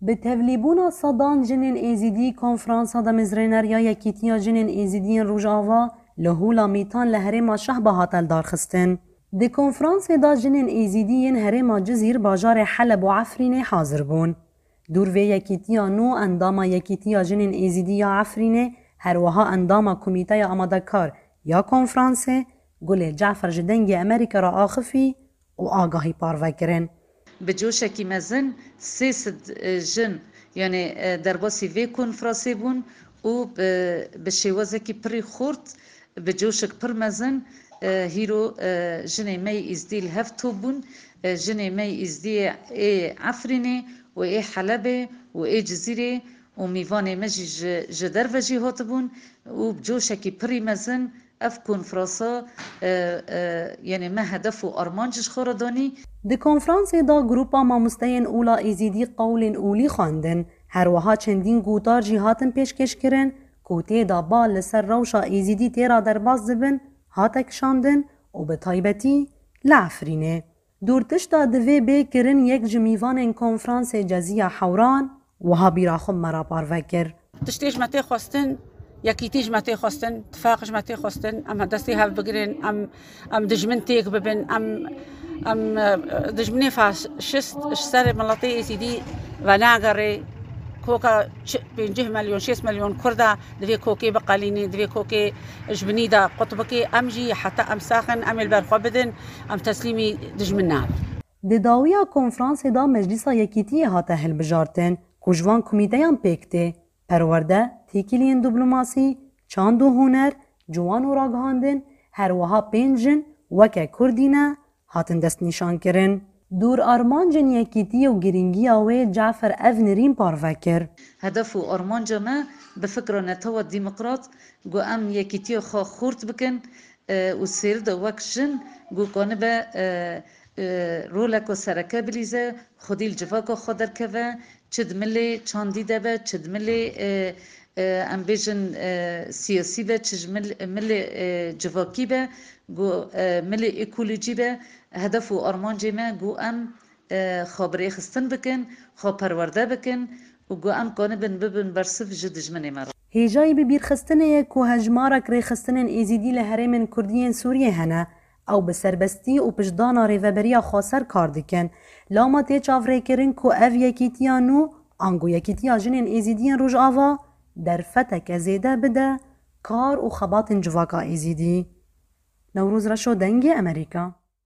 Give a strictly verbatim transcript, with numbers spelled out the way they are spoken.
Bi tevlîbûna sedan jinên Êzîdî, Konferansa Damezrêner ya Yekîtiya Jinên Êzîdiyên Rojava li Hûla Mîtan li herêma Şehba hate lidarxistin. Di konferansê de jinên Êzîdî yên herêma Cizîr, bajarê Heleb û Efrînê hazir bûn. Dûr vê yekîtiya nû endama Yekîtiya Jinên Êzîdî ya Efrînê, her wiha endama Komîteya Amadekar ya Konferansê, Gulê Cafer ji Dengê Amerîka re axifî û agahî parve kirin. Bi coşekî mezin sê sed jin, yanî, e, derbasî vê konferansê bûn û bi, bi şêwazekî pirî xurt, bi coşek pir mezin, e, hîro, e, jinê me yê Îzdî li hev top bûn, e, jinê me yê Îzdî ê Efrînê û ê Helebê û ê Cizîrê û mîvanê me jî ji, ji derve jî hatibûn û bi coşekî pirî mezin ev konferansa, e, e, yanî me hedef û armanc ji xwe re danî. Di konferansê de grûpa mamosteyên Ûla Êzîdî qewlên olî xwendin. Her wiha çendîn gotar jî hatin pêşkêşkirin ku tê de bal li ser rewşa Êzîdî tê re derbas dibin, hate kişandin û bi taybetî li Efrînê. Dûrtişta divê bê kirin, yek ji mîvanên konferansê Ceziya Hewran wiha bîra xwe me re parve kir. Tiştê ji me tê xwestin, yekîtî ji me tê xwestin, tifaq ji me tê xwestin, em destê hev bigirin, em, em dijmin têk bibin, em, em, e, dijminê faşist ji ser miletê Êzîdî venagerê. Koka çi-, pêncî milyon, şêst milyon Kurda divê kokê biqelînê, divê kokê ji binî de qut bikê. Em jî heta em sax in, em ê li ber xwe bidin, em teslîmî dijmin nabin. Di dawiya konferansê de Meclîsa Yekîtiyê hate hilbijartin ku ji van komîteyan pêk tê: perwerde, têkiliyên diplomasî, çand û huner, ciwan û ragihandin, her wiha pênc jin weke Kurdî ne, hatin destnîşankirin. Dûr armancên yekîtiyê û girîngiya wê Cafer ev nirîn parve kir. Hedef û armanca me bi fikra netewa demokrat ku em yekîtiya xwe xurt bikin, e, û sêr de wek jin ku kanibe, e, e, roleka sereke bilîze, xwedî li civaka xwe derkeve, çi di milê çandî de be, çi di milê, e, e, em bêjin, e, siyasî be, çi ji mil-, milê, e, civakî be, ku, e, milê ekolojî be, hedef û armancê me ku em, e, xwe birêxistin bikin, xwe perwerde bikin û ku em kanibin bibin bersiv ji dijminê me re. Hêjayî bibîrxistinê ye ku hejmarek rêxistinên Êzîdî li herêmên Kurdî yên Sûriyê hene. Ew bi serbestî û piştdana Rêveberiya Xweser kar dikin. Lama tê çavrêkirin ku ev yekîtiya nû, ango Yekîtiya Jinên Êzîdiyên Rojava, derfeteke zêde bide kar û xebatên civaka Êzîdî. Newroz Reşo, Dengê Amerîka.